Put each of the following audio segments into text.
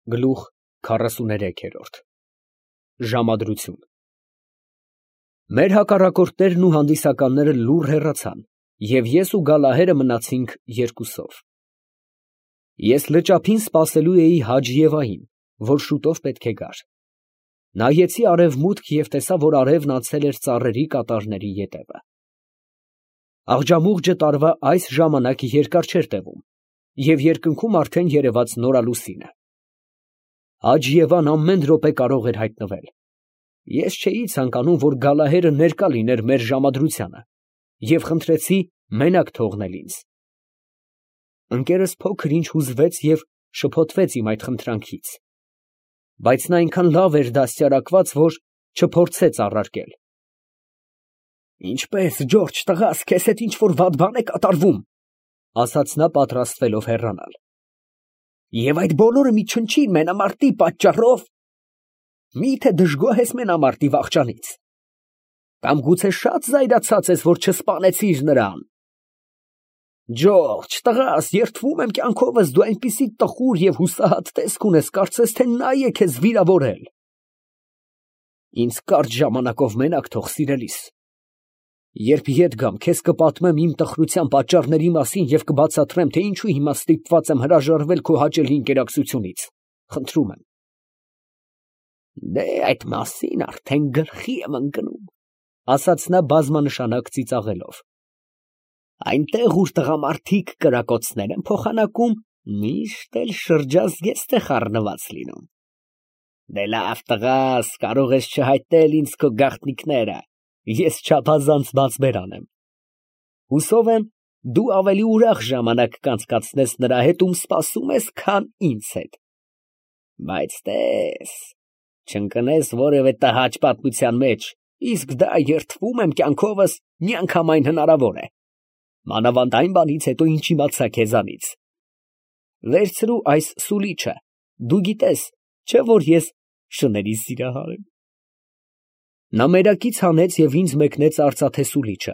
Գլուխ 43 Ժամադրություն Մեր հակառակորդներն ու հանդիսականները լուռ հեռացան, և ես ու Գալահերը մնացինք երկուսով։ Ես լճափին սպասելու էի Հաջիևային, որ շուտով պետք է գար։ Նայեցի արևմուտք և տեսա, որ արևն անցել էր ծառերի կատարների ետևը։ Աղջամուղջը տարվա այս ժամանակը երկար չէր տևում, և երկնքում արդեն երևաց նորալուսինը։ Հաջիևան ամեն րոպե կարող էր հայտնվել։ Ես չէի ցանկանում, որ Գալահերը ներկա լիներ մեր ժամադրությանը, և խնդրեցի մենակ թողնել ինձ։ Ընկերս փոքր ինչ հուզվեց և շփոթվեց իմ այդ խնդրանքից, բայց նա այնքան լավ էր դաստիարակված, որ չփորձեց առարկել։ «Ինչպե՞ս, Ջորջ տղաս, քեզ հետ ինչ֊որ վատ բան է կատարվում», ֊ ասաց նա, պատրաստվելով հեռանալ։ «Եվ այդ բոլորը մի չնչին մենամարտի պատճառո՞վ։ Մի՞թե դժգոհ ես մենամարտի վախճանից։ Կամ գուցե շատ զայրացած ես, որ չսպանեցիր նրան։ Ջորջ տղաս, երդվում եմ կյանքովս, դու այնպիսի տխուր և հուսահատ տեսք ունես, կարծես թե նա է քեզ վիրավորել։ Ինձ կարճ ժամանակով մենակ թող, սիրելիս։ Երբ ետ գամ, քեզ կպատմեմ իմ տխրության պատճառների մասին և կբացատրեմ, թե ինչու հիմա ստիպված եմ հրաժարվել քո հաճելի ընկերակցությունից։ Խնդրում եմ։ Դե այդ մասին արդեն գլխի եմ ընկնում, ֊ ասաց նա բազմանշանակ ծիծաղելով։ Այնտեղ, ուր տղամարդիկ կրակոցներ են փոխանակում, միշտ էլ շրջազգեստ է խառնված լինում։ Դե լավ տղաս, կարող ես չհայտնել ինձ քո գաղտնիքները, ես չափազանց բաց բերան եմ։ Հուսով եմ, դու ավելի ուրախ ժամանակ կանցկացնես նրա հետ, ում սպասում ես, քան ինձ հետ։ Բայց տես, չընկնես որևէ տհաճ պատմության մեջ, իսկ դա երդվում եմ կյանքովս միանգամայն հնարավոր է։ Մանավանդ այն բանից հետո, ինչ իմացա քեզանից։ Վերցրու այս սուլիչը, դու գիտես, չէ՞ որ ես շների սիրահար եմ։ Նա մերակից հանեց և ինձ մեկնեց արծաթե սուլիչը։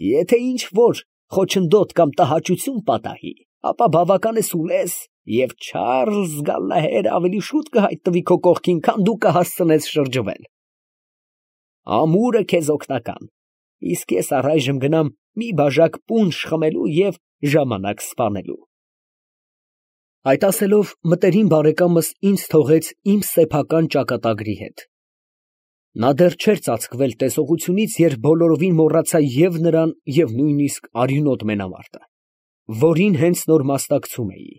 Եթե ինչ֊որ խոչընդոտ կամ տհաճություն պատահի, ապա բավական է սուլես, և Չարլզ Գալլահերը ավելի շուտ կհայտնվի քո կողքին, քան դու կհասցնես շրջվել։ Ամուրը քեզ օգնական, իսկ ես առայժմ գնամ մի բաժակ պունշ խմելու և ժամանակ սպանելու։ Այդ ասելով, մտերիմ բարեկամս ինձ թողեց իմ սեփական ճակատագրի հետ։ Նա դեռ չէր ծածկվել տեսողությունից, երբ բոլորովին մոռացա և նրան, և նույնիսկ արյունոտ մենամարտը, որին հենց նոր մասնակցում էի։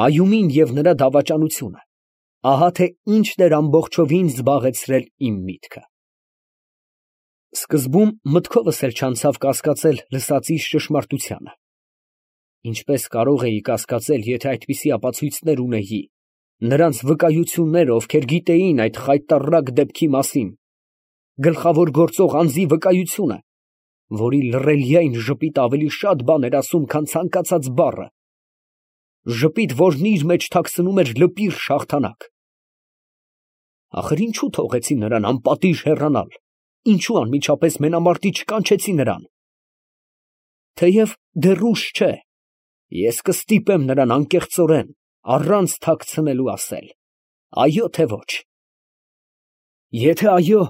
Մայումին և նրա դավաճանությունը, ահա թե ինչն էր ամբողջովին զբաղեցրել իմ միտքը։ Սկզբում մտքովս էլ չանցավ կասկածել լսածիս ճշմարտությանը։ Ինչպես կարող էի կասկածել, եթե այդպիսի ապացույցներ ունեի, նրանց վկայությունները, ովքեր գիտեին այդ խայտառակ դեպքի մասին, գլխավոր գործող անձի վկայությունը, որի լռելիային ժպիտը ավելի շատ բան էր ասում, քան ցանկացած բառը, ժպիտ, որն իր մեջ թաքցնում էր լպիր շաղթանակ։ Ախր ինչու թողեցի նրան անպատիժ հեռանալ, ինչու անմիջապես մենամարտի չկանչեցի նրան։ Թեև դեռ ուշ չէ, ես կստիպեմ նրան անկեղծորեն, առանց թաքցնելու ասել, այո թե ոչ։ Եթե այո,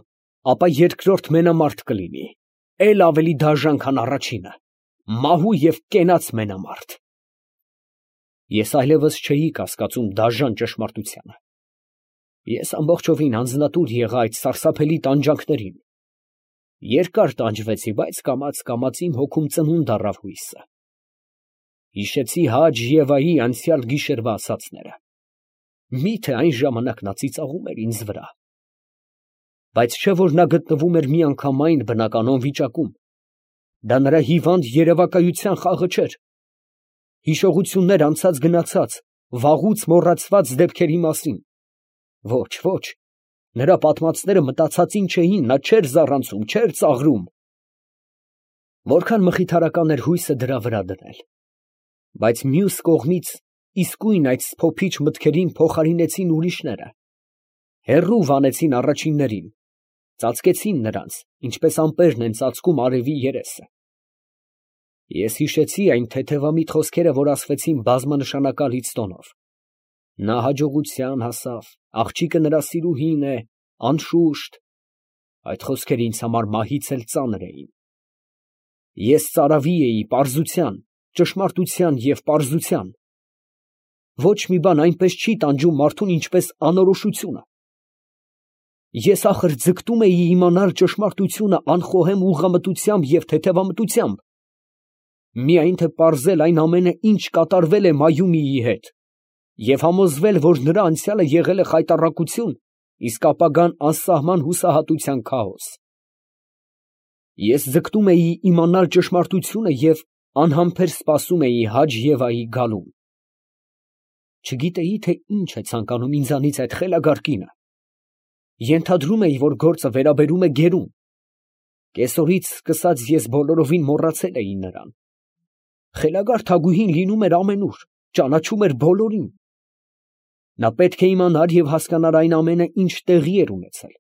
ապա երկրորդ մենամարտ կլինի, էլ ավելի դաժան, քան առաջինը, մահու և կենաց մենամարտ։ Ես այլևս չէի կասկածում դաժան ճշմարտությանը։ Ես ամբողջովին անձնատուր եղա այդ սարսափելի տանջանքներին։ Երկար տանջվեցի, բայց կամաց իմ հոգում ծնունդ առավ հույսը։ Հիշեցի Հաջիևայի անցյալ գիշերվա ասածները։ Մի՞թե այն ժամանակ նա ծիծաղում էր ինձ վրա։ Բայց չէ՞ որ նա գտնվում էր միանգամայն բնականոն վիճակում։ Դա նրա հիվանդ երևակայության խաղը չէր։ Հիշողություններ անցած գնացած, վաղուց մոռացված դեպքերի մասին։ Ոչ, ոչ, նրա պատմածները մտածածին չէին, նա չէր զառանցում, չէր ծաղրում։ Որքան մխիթարական էր հույսը դրա վրա դնել։ Բայց մյուս կողմից իսկույն այդ սփոփիչ մտքերին փոխարինեցին ուրիշները, հեռու վանեցին առաջիններին, ծածկեցին նրանց, ինչպես ամպերն են ծածկում արևի երեսը։ Ես հիշեցի այն թեթևամիտ խոսքերը, որ ասվեցին բազմանշանակալից տոնով։ Նա հաջողության հասավ, աղջիկը նրա սիրուհին է, անշուշտ, այդ խոսքերը ինձ համար մահից էլ ծանր էին։ Ես ծարավի էի պարզության, ճշմարտության և պարզության։ Ոչ մի բան այնպես չի տանջում մարդուն, ինչպես անորոշությունը։ Ես ախր ձգտում էի իմանալ ճշմարտությունը անխոհեմ ուղղամտությամբ և թեթևամտությամբ, միայն թե պարզել այն ամենը, ինչ կատարվել է Մայումիի հետ, և համոզվել, որ նրա անցյալը եղել է խայտառակություն, իսկ ապագան անսահման հուսահատության քաոս։ Ես ձգտում էի իմանալ ճշմարտությունը և անհամբեր սպասում էի Հաջ Եվայի գալուն։ Չգիտեի, թե ինչ է ցանկանում ինձանից այդ խելագար կինը։ Ենթադրում էի, որ գործը վերաբերում է գերուն։ Կեսօրից սկսած ես բոլորովին մոռացել էի նրան։ Խելագար թագուհին լինում էր ամենուր, ճանաչում էր բոլորին։ Նա պետք է իմանար և հասկանար այն ամենը, ինչ տեղի էր ունեցել։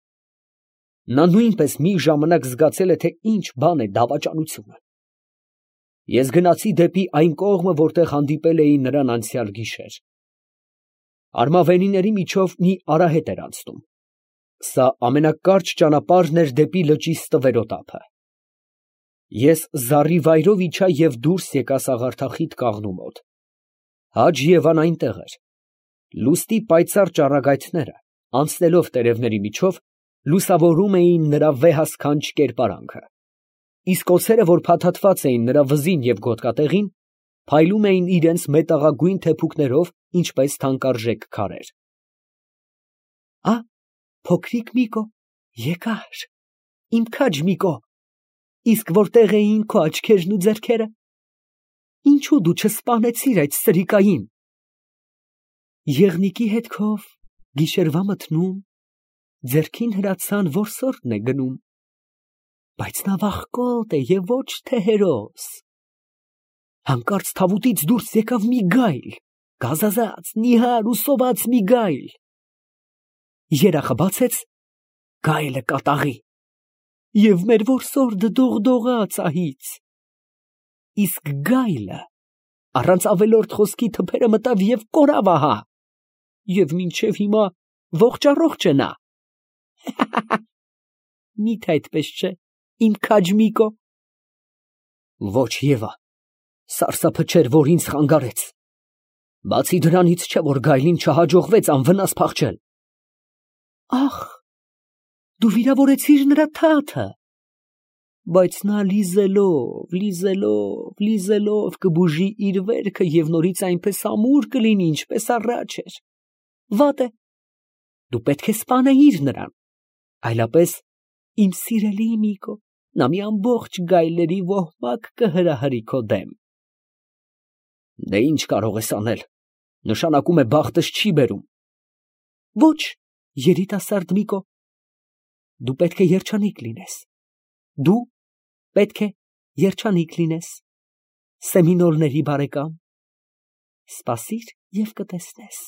Նա նույնպես մի ժամանակ զգացել է, թե ինչ բան է դավաճանությունը։ Ես գնացի դեպի այն կողմը, որտեղ հանդիպել էի նրան անցյալ գիշեր։ Արմավենիների միջով մի արահետ էր անցնում։ Սա ամենակարճ ճանապարհն էր դեպի լճի ստվերոտ ափը։ Ես զառիվայրով իջա և դուրս եկա սաղարթախիտ կաղնու մոտ։ Հաջ Եվան այնտեղ էր։ Լուստի պայծառ ճառագայթները, անցնելով տերևների միջով, լուսավորում էին նրա վեհասքանչ կերպարանքը, իսկ օձերը, որ փաթաթված էին նրա վզին և գոտկատեղին, փայլում էին իրենց մետաղագույն թեփուկներով, ինչպես թանկարժեք քարեր։ Փոքրիկ Միկո, եկար, իմ քաջ Միկո, իսկ որտեղ էին քո աչքերն ու ձեռքերը, ինչու դու չսպանեցիր այդ սրիկային։ Եղնիկի հետքով գիշերվա մթնում, ձեռքին հրացան որսորդն է գնում, բայց նա վախկոտ է և ոչ թե հերոս։ Հանկարծ թավուտից դուրս եկավ մի գայլ, գազազած, նիհար ու սոված մի գայլ։ Երախը բացեց, գայլը կատաղի, և մեր որսորդը դողդողաց ահից։ Իսկ գայլը առանց ավելորդ խոսքի թփերը մտավ և կորավ ահա, և մինչև հիմա ողջ է նա։ Մի՞թե այդպես չէ, իմ քաջ Միկո։ Ոչ, Եվա, սարսափը չէր, որ ինձ խանգարեց։ Բացի դրանից չէ, որ գայլին չհաջողվեց անվնաս փախչել։ Ախ, դու վիրավորեցիր նրա թաթը, բայց նա լիզելով կբուժի իր վերքը և նորից այնպես ամուր կլինի, ինչպես առաջ էր։ Վատ է, դու պետք է սպանեիր նրան, այլապես իմ սիրելի Միկո, նա մի ամբողջ գայլերի ոհմակ կհրահրի քո դեմ։ Դե ինչ կարող ես անել, նշանակում է բախտս չի բերում։ Ոչ, երիտասարդ Միկո, դու պետք է երջանիկ լինես, Սեմինոլների բարեկամ, սպասիր և կտեսնես։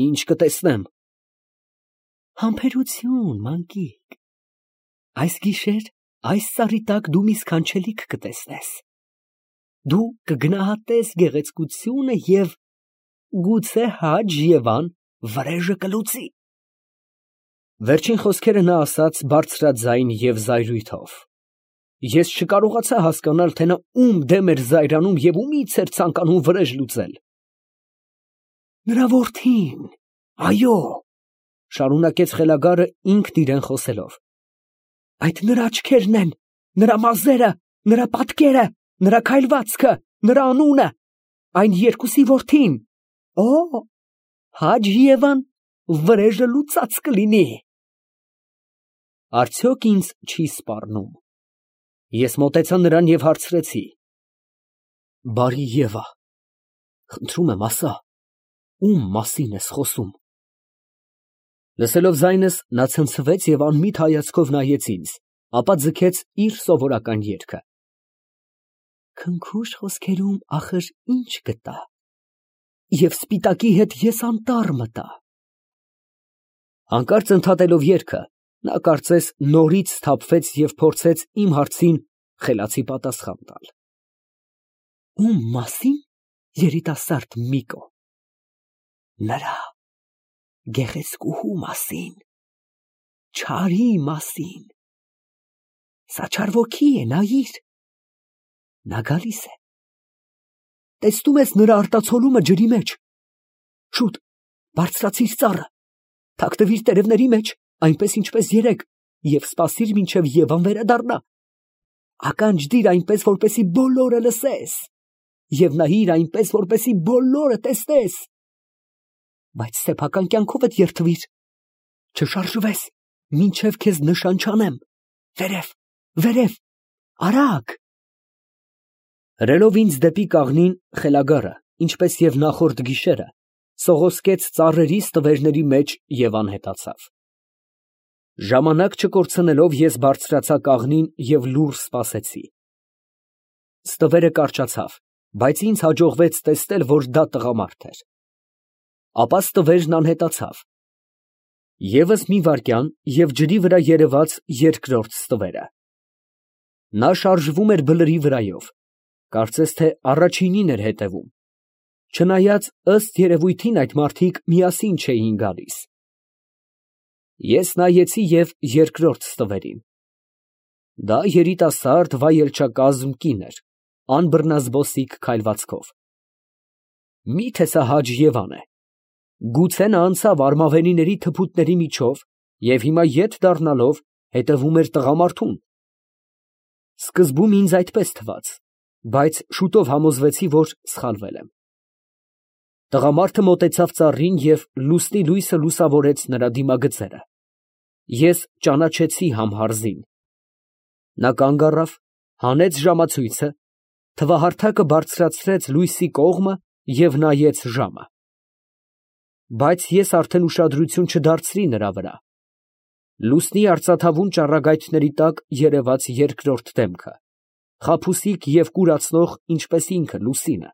Ինչ կտեսնեմ։ Համբերություն, մանկիկ, այս գիշեր այս ծառի տակ դու մի սքանչելիք կտեսնես, դու կգնահատես գեղեցկությունը և գուցե Հաջ Եվան վրեժը կլուծի։ Վերջին խոսքերը նա ասաց բարձրաձայն և զայրույթով։ Ես չկարողացա հասկանալ, թե նա ում դեմ էր զայրանում և ումից էր ցանկանում վրեժ լուծել։ Նրա որդին, այո, շարունակեց խելագարը ինքն իրան խոսելով, այդ նրա աչքերն են, նրա մազերը, նրա պատկերը, նրա քայլվածքը, նրա անունը, այն երկուսի որդին, Հաջ Եվան վրեժը լուծած կլինի։ Արդյոք ինձ չի սպառնում։ Ես մոտեցա նրան և հարցրեցի. Բարի Եվա, խնդրում եմ ասա, ում մասին ես խոսում։ Լսելով ձայնս, նա ցնցվեց և անմիտ հայացքով նայեց ինձ, ապա ձգեց իր սովորական երգը։ Քնքուշ խոսքերում ախր ինչ գտա, և սպիտակի հետ ես անտառ մտա։ Հանկարծ ընդհատելով երգը, նա կարծես նորից սթափվեց և փորձեց իմ հարցին խելացի պատասխան տալ։ Ում մասին, երիտասարդ Միկո։ Նրա գեղեցկուհու մասին, չարի մասին։ Սա չար ոգի է, նայիր։ Նա գալիս է։ Տեսնում ես նրա արտացոլումը ջրի մեջ։ Շուտ, բարձրացիր ծառը, թաքնվիր տերևների մեջ, այնպես ինչպես երեկ, և սպասիր մինչև Եվան վերադառնա։ Ականջ դիր այնպես, որպեսի բոլորը լսես, և նայիր այնպես, որպեսի բոլորը տեսնես։ Բայց սեփական կյանքովդ երդվիր, չշարժվես, մինչև քեզ նշան չանեմ։ Վերև, վերև, արագ։ Հրելով ինձ դեպի կաղնին, խելագարը, ինչպես և նախորդ գիշերը, սողոսկեց ծառերի ստվերների մեջ և անհետացավ։ Ժամանակ չկորցնելով ես բարձրացա կաղնին և լուռ սպասեցի։ Ստվերը կարճացավ, բայց ինձ հաջողվեց տեսնել, որ դա տղամարդ էր։ Ապա ստվերն անհետացավ։ Եվս մի վայրկյան, և ջրի վրա երևաց երկրորդ ստվերը։ Նա շարժվում էր բլրի վրայով, կարծես թե առաջինին էր հետևում, չնայած ըստ երևույթին այդ մարդիկ միասին չէին գալիս։ Ես նայեցի և երկրորդ ստվերին։ Դա երիտասարդ վայելչակազմ կին էր, անբռնազբոսիկ քայլվածքով։ Մի՞թե սա Հաջ Եվան է։ Գուցե նա անցավ արմավենիների թփուտների միջով և հիմա ետ դառնալով հետևում էր տղամարդուն։ Սկզբում ինձ այդպես թվաց, բայց շուտով համոզվեցի, որ սխալվել եմ։ Տղամարդը մոտեցավ ծառին և լուսնի լույսը լուսավորեց նրա դիմագծերը։ Ես ճանաչեցի Համհարզին։ Նա կանգ առավ, հանեց ժամացույցը, թվահարթակը բարձրացրեց լույսի կողմը և նայեց ժամը։ Բայց ես արդեն ուշադրություն չդարձրի նրա վրա։ Լուսնի արծաթավուն ճառագայթների տակ երևաց երկրորդ դեմքը, խաբուսիկ և կուրացնող, ինչպես ինքը Լուսինը։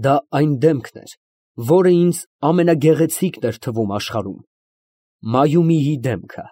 Դա այն դեմքն էր, որը ինձ ամենագեղեցիկն էր թվում աշխարհում, Մայումիի դեմքը։